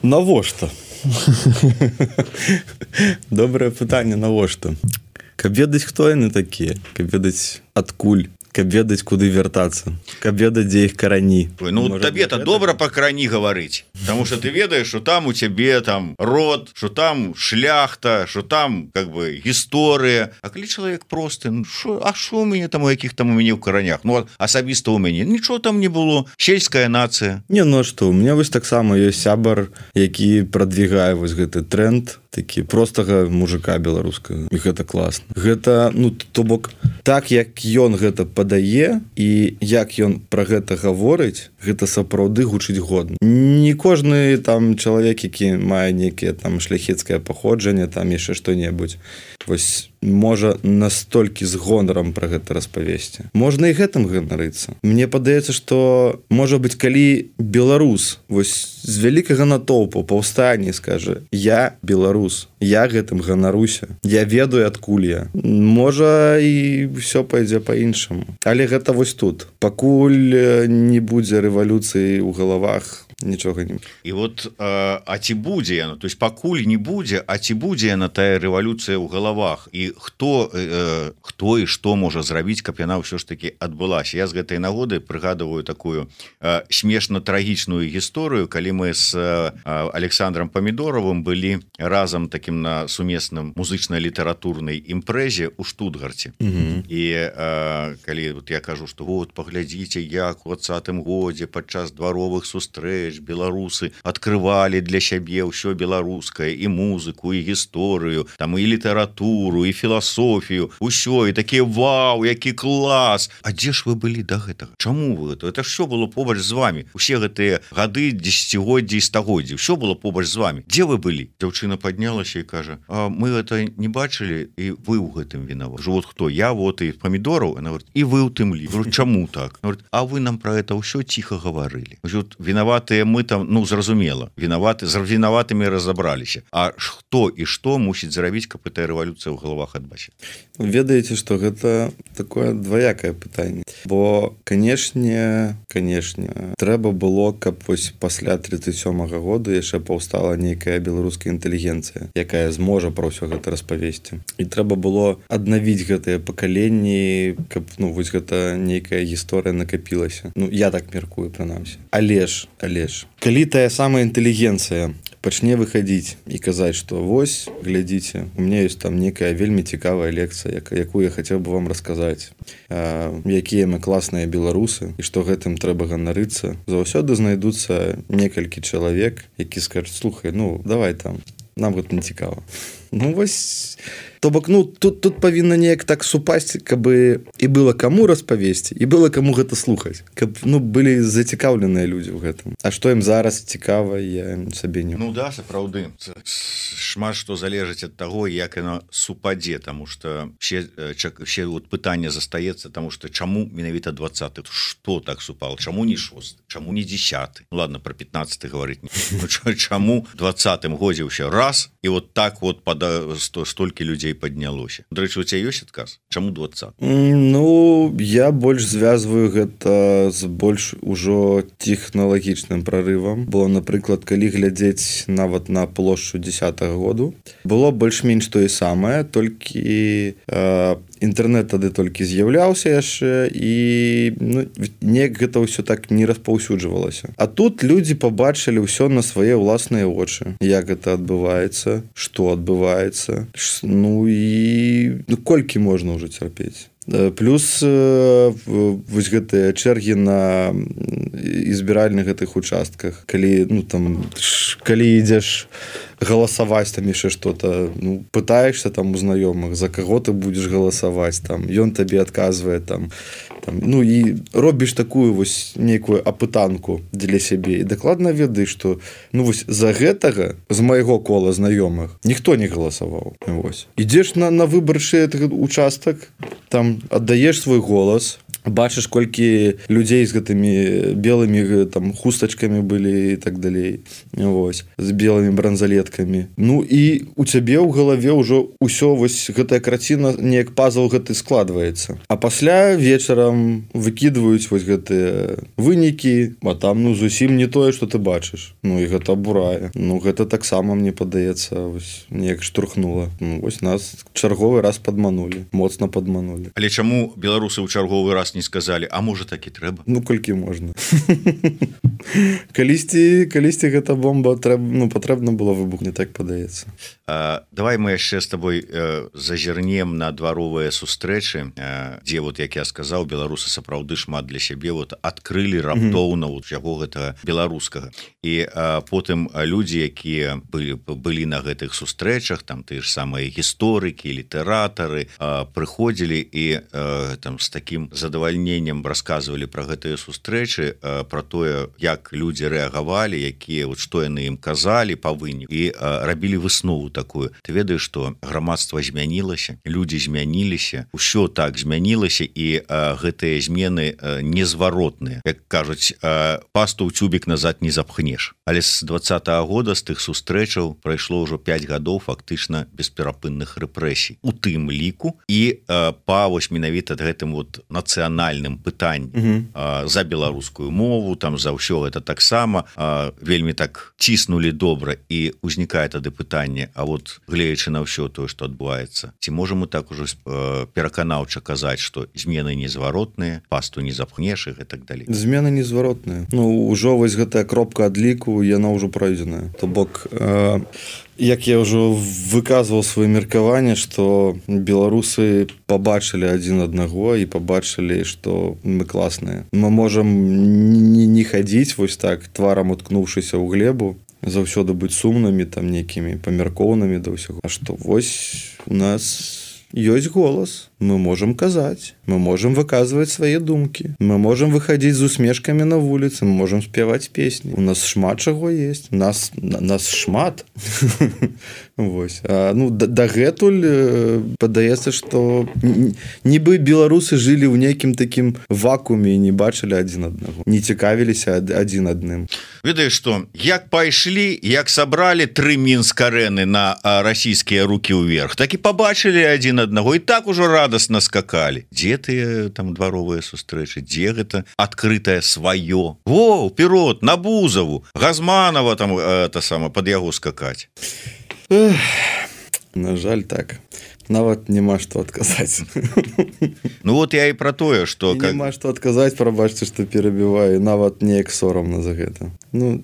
Навошта? Добрае пытанне, навошта? Каб ведаць, хто яны такія, каб ведаць адкуль, каб ведаць, куды вяртацца, каб ведаць, дзе іх карані. Ой, ну табе-то добра па карані гаварыць, потому что ты ведаеш, что там у цябе там род, что там шляхта, что там как бы гісторыя. А калі чалавек просты, ну шо, а што у мяне там у якіх там у мяне ў каранях? Ну асабіста ў мяне нічого там не было, сельская нацыя. Не, ну а што, у меня вось таксама ёсць сябар, які прадвігае вось гэты тренд, такі простага мужика беларускага, і гэта класна. Гэта, ну, то бок, так як ён гэта падае і як ён пра гэта гаворыць, гэта сапраўды гучыць годна. Не кожны там чалавек, які мае нейкае там шляхецкае паходжанне, там яшчэ што-небудзь, вось можа настолькі з гонарам пра гэта распавесці. Можна і гэтым ганарыцца. Мне падаецца, што можа быць, калі беларус вось з вялікага натоўпу паўстанне скажа: я беларус, я гэтым ганаруся, я ведаю, адкуль я. Можа і ўсё пойдзе па-іншаму. Але гэта вось тут. Пакуль не будзе рэвалюцыі ў галавах нічога не. І вот э, а ці будзе яно, то есть пакуль не будзе, а ці будзе яна тая рэвалюцыя ў галавах, і хто э, хто і што можа зрабіць, каб яна ўсё ж таки адбылася. Я з гэтай нагоды прыгадываю такую э, смешна-трагічную гісторыю, калі мы з э, Александром Памідоровым былі разам таким на сумесным музычна-літаратурнай імпрэзе ў Штутгарце. Угу. І э, калі вот я кажу, што вот паглядзіце, як у двадцатым годзе падчас дваровых сустрэч беларусы открывалі для сябе ўсё беларускае, і музыку, і гісторыю, там і літаратуру, і філасофію, усё, і такі вау, які клас. А дзе ж вы былі да гэтага? Чаму вы гэта? Это ж всё было побач з вами. Усе гэтыя гады, дзесяцігоддзі і стагоддзі, ўсё было побач з вами. Дзе вы былі? Дзяўчына паднялася і кажа: а мы гэта не бачылі, і вы ў гэтым вінаваты. Вот хто? Я вот і Памідораў. Она говорит: і вы ў тым лі. Говорю: чаму так? Она говорит: а вы нам про это ўсё ціха гаварылі. Вот вінаватыя мы там, ну зразумела, вінаваты, з вінаватымі разабраліся. А хто і што мусіць зрабіць, каб гэтая рэвалюцыя ў галавах адбачыць? Ведаеце, што гэта такое дваякае пытанне. Бо, канешне, канешне, трэба было, каб вось пасля тридцать сёмага года яшчэ паўстала нейкая беларуская інтэлігенцыя, якая зможа пра ўсё гэта распавесці. І трэба было аднавіць гэтыя пакаленні, каб, ну, вось гэта нейкая гісторыя накапілася. Ну, я так меркую, прынамсі. Але ж, але ж, калі тая самая інтэлігенцыя пачне выхадзіць і казаць, што вось, глядзіце, у меня ёсць там некая вельмі цікавая лекцыя, якую я хацеў бы вам расказаць, якія мы класныя беларусы, і што гэтым трэба ганарыцца. Заўсёды знайдуцца некалькі чалавек, які скажуць: слухай, ну, давай там, нам гэта не цікава. Ну, вось... То бок, ну, тут, тут павінна неяк так супасці, каб і было каму распавесці, і было каму гэта слухаць. Каб, ну, былі зацікаўленыя людзі ў гэтым. А што ім зараз цікава, я сабе не... Ну да, сапраўды. Шмат што залежыць ад таго, як яно супадзе, таму што ще, ще вот пытанне застаецца, таму што чаму менавіта двадцаты? Што так супало? Чаму не шосты? Чаму не дзесяты? Ну ладно, про пятнадцаты гаварыць. Ну, чаму двадцатым годзе ўсё раз, і вот так вот пада... столькі людзей паднялося. Дарэчы, у цябе ёсць адказ? Чаму двадцаты? Ну, я больш звязваю гэта з больш ужо тэхналагічным прарывам. Бо, напрыклад, калі глядзець нават на плошчу дзесятага году, было больш-менш тое самае, толькі э, інтэрнэт тады толькі з'яўляўся яшчэ, і ну, неяк гэта ўсё так не распаўсюджвалася. А тут людзі пабачылі ўсё на свае ўласныя вочы. Як гэта адбываецца, што адбываецца. Ну і ну, колькі можна ўжо цярпець. Плюс вось гэтыя чэргі на збіральных гэтых участках, калі, ну, там, калі ідзеш галасаваць там яшчэ што-то, ну, пытаешься там у знаёмых, за каго ты будзеш галасаваць, там, ён табе адказвае, там, там, ну, і робіш такую вось нейкую апытанку для сябе, і дакладна ведаеш, што, ну, вось за гэтага з майго кола знаёмых ніхто не галасаваў. Вось. Ідзеш на, на выбарчы участак, там аддаеш свой голас, бачыш, колькі людзей з гэтымі белымі там хустачкамі былі і так далей, вось, з белымі бранзалеткамі. Ну і у цябе ў галаве ўжо ўсё, вось гэтая карціна, неяк пазл гэты складваецца. А пасля вечарам выкідваюць вось гэтыя вынікі, а там, ну, зусім не тое, што ты бачыш. Ну і гэта абурае. Ну гэта таксама, мне падаецца, вось неяк штурхнула. Ну, вось нас чарговы раз падманулі, моцна падманулі. Але чаму беларусы ў чарговы раз не сказалі: а можа так і трэба? Ну, колькі можна. Калісьці, калісьці гэта бомба трэба, ну, патрэбна было выбухне, так падаецца. А, давай мы яшчэ з табой э, зазірнем на дваровыя сустрэчы, э, дзе, вот, як я сказаў, беларусы сапраўды шмат для сябе вот адкрылі раптоўна mm -hmm. усяго гэтага беларускага. І э, потым людзі, якія былі, былі на гэтых сустрэчах, там тыя ж самыя гісторыкі, літаратары, э, прыходзілі і э, там з такім задавальненнем расказвалі пра гэтыя сустрэчы, э, пра тое, як людзі рэагавалі, якія, вот, што яны ім казалі па выніку, і э, рабілі выснову такую. Ты ведаеш, што грамадства змянілася, людзі змяніліся, усё так змянілася, і э, гэтыя змены э, незваротныя. Як кажуць, э, пасту ў цюбік назад не запхнеш. Але з двадцатага года, з тых сустрэчаў, прайшло ўжо пяць гадоў фактычна бесперапынных рэпрэсій. У тым ліку і э, па вось менавіта гэтым вот нацыянальным нацыянальным пытаннем за беларускую мову, там за ўсё это таксама вельмі так ціснулі добра, і узнікае тады пытанне: а вот гледзячы на ўсё тое, што адбываецца, ці можам мы так ужо пераканаўча казаць, што змены незваротныя, пасту не запхнеш і так далей? Змены незваротныя. Ну ўжо вось гэтая кропка адліку, яна ўжо пройдзеная. То бок э, як я ўжо выказваў сваё меркаванне, што беларусы пабачылі адзін аднаго і пабачылі, што мы класныя. Мы можам не, не хадзіць вось так, тварам уткнуўшыся ў глебу, заўсёды быць сумнымі, там некімі памяркоўнымі да ўсяго. А што вось у нас ёсць голас, мы можам казаць, мы можам выказваць свае думкі, мы можам выхадзіць з усмешкамі на вуліцы, мы можам спяваць песні. У нас шмат чаго есть, нас, нас шмат. Вось. А, ну, дагэтуль падаецца, што нібы беларусы жылі ў нейкім такім вакууме і не бачылі адзін аднаго, не цікавіліся адзін адным. Ведаеш што, як пайшлі, як сабралі тры мінск-арэны на расійскія рукі ўверх, так і пабачылі адзін аднаго, і так ужо радасна скакалі. Дзе тыя там дваровыя сустрэчы, дзе гэта адкрытае сваё? Во, ўперод, на Бузаву, Газманова там это сама, пад яго скакаць. Эх, на жаль, так. Нават няма што адказаць. Ну вот я і пра тое, што как... няма што адказаць, прабачце, што перабіваю, нават неяк сорамна за гэта. Ну,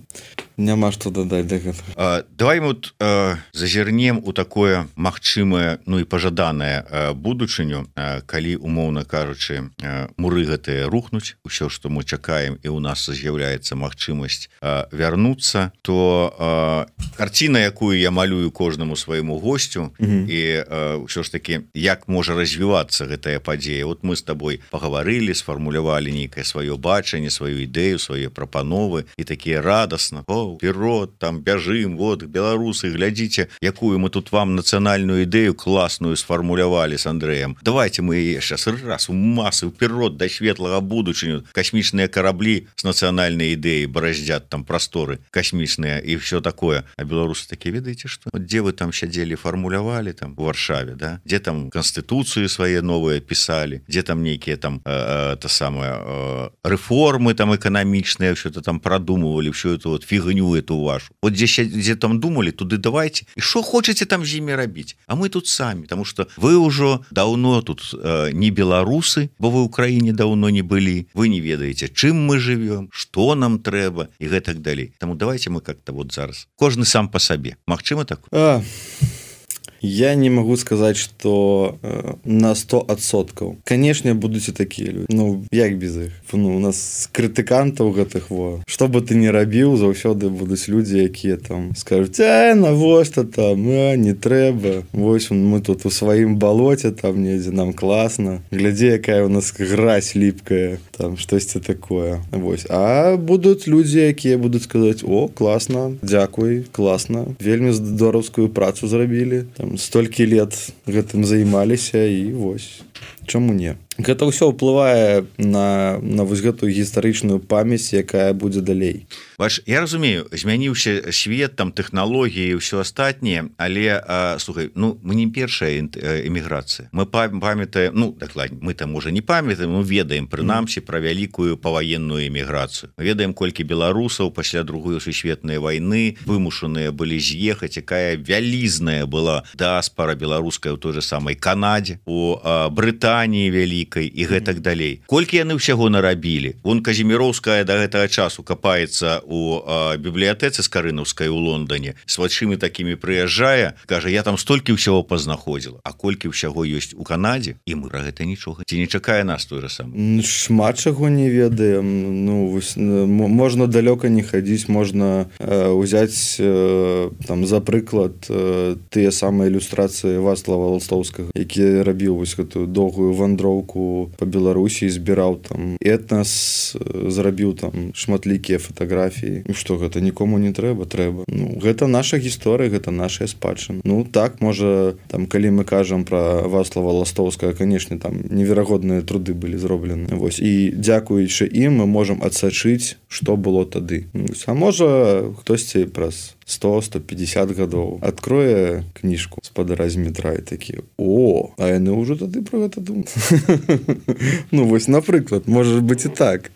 няма што дадаць да гэтага. А, давай мы вот, а, зазірнем у такое магчымае, ну і пажаданае а, будучыню, а, калі, умоўна кажучы, а, муры гэтыя рухнуць, усё, што мы чакаем, і ў нас з'яўляецца магчымасць а, вярнуцца, то а, карціна, якую я малюю кожнаму свайму госцю, угу. і а, ўсё ж такі, як можа развівацца гэтая падзея. Вот мы з табой пагаварылі, сфармулявалі нейкае сваё бачанне, сваю ідэю, свае прапановы, і такія радасна: о, вперед, там бяжым, вот беларусы, глядзіце, якую мы тут вам нацыянальную ідэю класную сфармулявалі с Андрэем. Давайте мы яе сейчас раз у масы вперед да светлага будучыню. Касмічныя караблі с нацыянальнай ідэяй бараздзят там прасторы касмічныя і все такое. А беларусы такія: ведаеце што? Вот дзе вы там сядзелі, фармулявалі там у Варшаве, да? Дзе там канстытуцыю свае новыя пісалі, дзе там нейкія там э, э, та самая э, рэформы там эканамічныя, ўсё-то там прадумывалі, ўсё это вот фігню эту вашу. Вот дзе, дзе там думалі, туды давайте. І што хочаце там з імі рабіць? А мы тут самі, тому што вы ўжо даўно тут э, не беларусы, бо вы ў краіне даўно не былі, вы не ведаеце, чым мы жывём, што нам трэба і гэтак далей. Таму давайте мы как-то вот зараз кожны сам па сабе. Магчыма так? А... Я не могу сказать, что э, на сто адсоткаў. Конечно, будуць і такія люди. Ну, як без іх? Ну, у нас крытыкантаў гэтых, во. Што бы ты не рабіў, заўсёды будуць людзі, якія там скажуць: а, навошта там, а, не трэба. Вось мы тут у сваім балоце, там недзе, нам класна. Глядзі, якая у нас гразь ліпкая, там штосьці такое. Вось. А будуць людзі, якія будуць сказаць: о, класна, дзякуй, класна, вельмі здораўскую працу зрабілі, там столькі лет гэтым займаліся, і вось. Чаму не? Гэта ўсё ўплывае на, на вось гэтую гістарычную памяць, якая будзе далей. Бач, я разумею, змяніўся свет, там тэхналогіі і ўсё астатняе, але а, слухай, ну мы не першая эміграцыя. Мы памятаем, ну дакладней, мы там уже не памятаем, мы ведаем прынамсі пра вялікую паваенную эміграцыю. Мы ведаем, колькі беларусаў пасля другой сусветнай вайны вымушаныя былі з'ехаць, якая вялізная была дыаспара беларуская ў той же самай Канадзе, у а, Брытаніі вялікай і гэтак далей. Колькі яны ўсяго нарабілі? Вон Казіміроўская да гэтага часу капаецца у а, бібліятэцы Скарынаўскай у Лондоне, с вачымі такімі прыязджае, кажа: я там столькі ўсяго пазнаходзіла. А колькі ўсяго ёсць у Канадзе, і мы пра гэта нічога. Ці не чакае нас той же самы? Шмат чаго не ведаем. Ну, вось, можна далёка не хадзіць, можна э, узяць э, там за прыклад э, тыя самыя ілюстрацыі Вацлава Ластовскага, які рабіў вось гэтую доўгую вандроўку по Беларусі, збіраў там этнас, зрабіў там шматлікія фатаграфіі. І што гэта нікому не трэба? Трэба. Ну, гэта наша гісторыя, гэта наша спадчына. Ну так, можа, там калі мы кажам пра Вацлава Ластовскага, канешне, там неверагодныя труды былі зроблены. Вось. І дзякуючы ім мы можам адсачыць, што было тады. А можа, хтосьці праз сто сто пятьдесят гадоў открое кніжку спадара з метра і такі о а яны ўжо тады про гэта думаюць. Ну вось напрыклад может быть і так.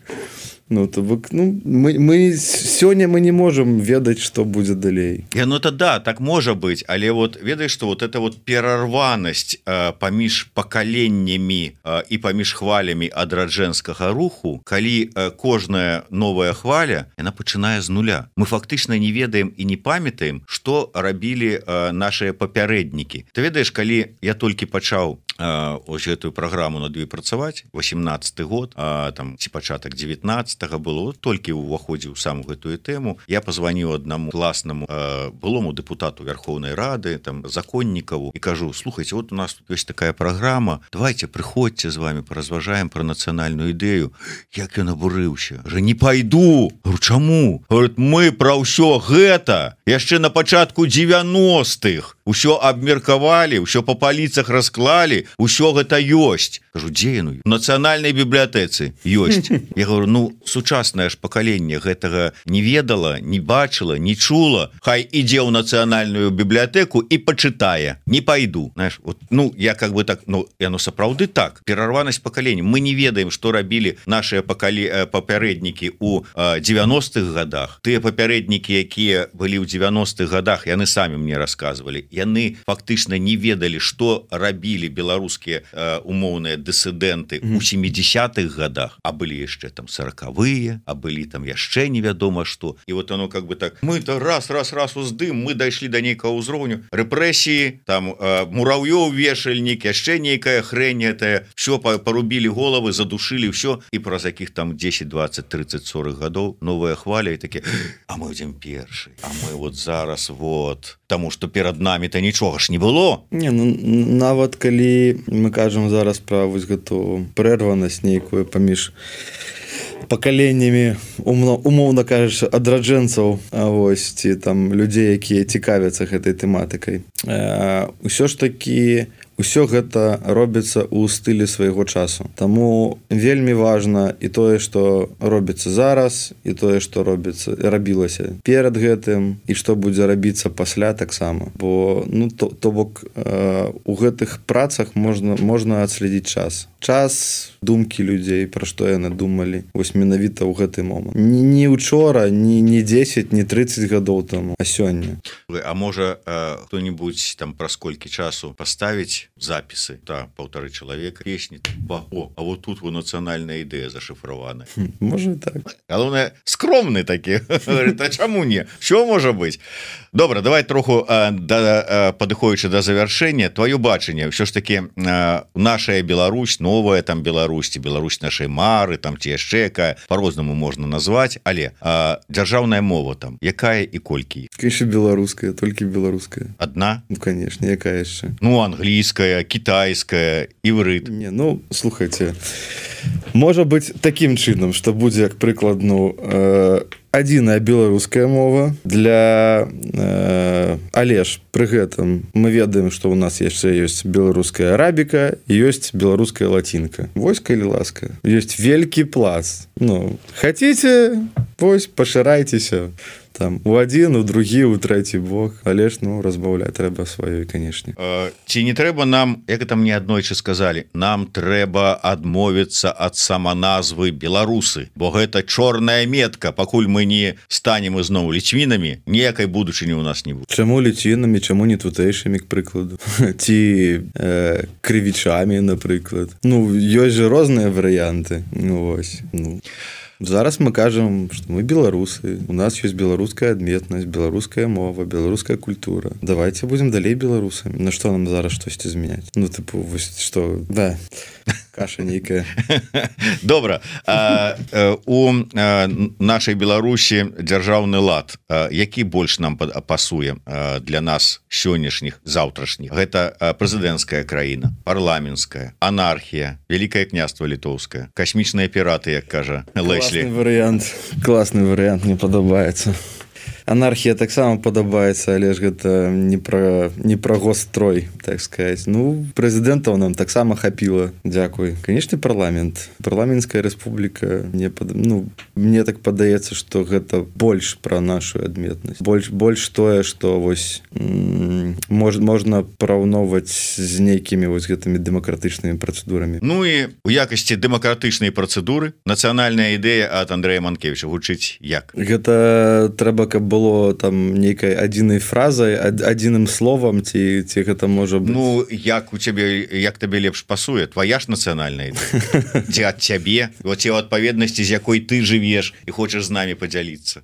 Ну, то бок, ну мы, мы сёння мы не можем ведаць что будзе далей. Я, ну то да так можа быть, але вот ведаеш что вот это вот перарванасць э, паміж пакаленнямі э, і паміж хвалямі адраджэнскага руху, калі э, кожная новая хваля яна пачынае з нуля. Мы фактычна не ведаем і не памятаем что рабілі э, наши папярэднікі. Ты ведаеш калі я толькі пачаў э, ось гэтую праграму над ёй працаваць восемнадцаты год э, там ці пачатак девятнадцатого было толькі ўваходзіў сам гэтую тэму. Я позвоніў аднаму класнаму э, былому депутату Верховной Рады там законнікаву і кажу слухайте вот у нас тут ёсць такая праграма, давайте прыходзьце з вами паразважаем про нацыянальную ідэю. Як ён абурыўся, же не пойду. Говорю, чаму? Говорит, мы про ўсё гэта яшчэ на пачатку девяностых усё абмеркавалі, усё по паліцах расклалі, усё гэта ёсць. Кажу, дзе яно? У нацыянальнай бібліятэцы ёсць. Я говорю, ну сучаснае ж пакаленне гэтага не ведала, не бачыла, не чула. Хай ідзе ў нацыянальную бібліятэку і пачытае. Не пайду. Знаешь, вот, ну я как бы так, ну яно сапраўды так. Перарванасць пакалення. Мы не ведаем, што рабілі нашыя пакалі... папярэднікі ў девяностых годах. Тыя папярэднікі, якія былі ў девяностых годах, яны самі мне расказвалі. Яны фактычна не ведалі, што рабілі беларускія э, умоўныя дысідэнты ў семидесятых годах, а былі яшчэ там сороковые, а былі там яшчэ невядома што. І вот оно как бы так, мы-то раз, раз, раз уздым, мы дайшлі да нейкага ўзроўню, рэпрэсіі, там э, мураўёў вешальнік, яшчэ нейкая хрень гэтая, все порубілі головы, задушылі ўсё, і праз якіх там десять, двадцать, тридцать, сорок гадоў новая хваля і такі, а мы ідзем першы, а мы вот зараз вот, таму што перад намі-то нічога ж не было. Не, ну нават калі мы кажам зараз пра вось гэту прэрванасць нейкую паміж пакаленнямі умоўна кажучы адраджэнцаў, а вось ці там людзей, якія цікавяцца гэтай тэматыкай. Усё ж такі усё гэта робіцца ў стылі свайго часу. Таму вельмі важна і тое, што робіцца зараз, і тое, што робіцца рабілася перад гэтым, і што будзе рабіцца пасля таксама. Бо ну то, то бок э, у гэтых працах можна можна адследзіць час. Час думкі людзей, пра што яны думалі вось менавіта ў гэты момант. Не учора, не, не десять, не тридцать гадоў таму, а сёння. А можа э, хто-нибудь там праз колькі часу паставіць запісы, та полторы чалавека песні, о, а вот тут во нацыянальная ідэя зашифравана. Можа так. Галоўнае, скромны такі. Говорит, а чаму не? Що можа быць? Добра, давай троху э, да, э, падыходзячы да завяршэння, твоё бачанне, ўсё ж такі э, нашая Беларусь, новая там Беларусь, ці Беларусь нашай мары, там ці яшчэ якая, по-рознаму можна назваць, але э, дзяржаўная мова там, якая і колькі? Конечно, беларуская, толькі беларуская. Адна? Ну, конечно, якая яшчэ? Ну, англійская, кітайская, іврыт. Не, ну, слухайте, можа быць такім чынам, што будзе, як прыклад, ну, э, адзіная беларуская мова для э, але ж пры гэтым мы ведаем, што ў нас яшчэ ёсць беларуская арабіка, ёсць беларуская лацінка. Вось калі ласка, ёсць вялікі пласт. Ну, хаціце, вось пашырайцеся там у адзін, у другі, у трэці бок, але ж ну разбаўляць трэба сваёй, канешне. Э, ці не трэба нам, як там мне аднойчы сказалі, нам трэба адмовіцца ад саманазвы беларусы, бо гэта чорная метка, пакуль мы не станем ізноў ліцвінамі, ніякай будучыні ў нас не будзе. Чаму ліцвінамі, чаму не тутэйшымі, к прыкладу, ці э, крывічамі, напрыклад. Ну ёсць жа розныя варыянты. Ну вось, ну зараз мы кажам, што мы беларусы, у нас ёсць беларуская адметнасць, беларуская мова, беларуская культура. Давайте будзем далей беларусамі. На што нам зараз штосьці змяняць? Ну тыпу вось што, да, каша нейкая. Добра. А, а, у а, нашай Беларусі дзяржаўны лад, а, які больш нам пасуе а, для нас сённяшніх, заўтрашніх? Гэта прэзідэнцкая краіна, парламенцкая, анархія, Вялікае княства літоўскае, касмічныя піраты, як кажа Леслі. Класны варыянт, класны варыянт, мне падабаецца. анархія таксама падабаецца, але ж гэта не пра не пра госстрой, так сказать. Ну, прэзідэнтаў нам таксама хапіла. Дзякуй. Канечне, парламент. Парламенцкая рэспубліка, мне пад... ну, мне так падаецца, што гэта больш пра нашу адметнасць. Больш больш тое, што вось м- мож, можна параўноўваць з нейкімі вось гэтымі дэмакратычнымі працэдурамі. Ну і у якасці дэмакратычнай працэдуры нацыянальная ідэя ад Андрэя Манкевіча гучыць як? Гэта трэба, каб было там нейкай адзінай фразай, адзіным словам, ці, ці гэта можа быць... Ну, як у цябе, як табе лепш пасуе? Твая ж нацыянальная ідэя? Ці ад цябе? Ці ў адпаведнасці, з якой ты жывеш і хочаш з намі падзяліцца?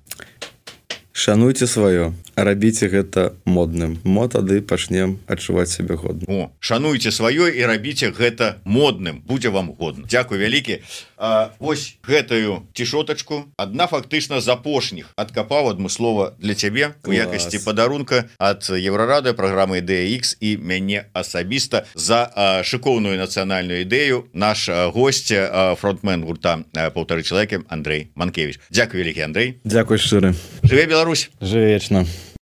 Шануйце сваё, рабіце гэта модным. Мо тады пачнем адчуваць сябе годна. О, шануйце сваё і рабіце гэта модным. Будзе вам годна. Дзякуй вялікі. А, вось гэтую цішотачку адна фактычна з апошніх адкапаў адмыслова для цябе у якасці падарунка ад Еўрарады, праграмы Ідэя Ікс і мяне асабіста за а, шыкоўную нацыянальную ідэю. Наш а, госць, а, фронтмен гурта «Паўтары чалавекі» Андрэй Манкевіч. Дзякуй вялікі, Андрэй. Дзякуй шчыры. Жыве Беларусь. Жыве вечна.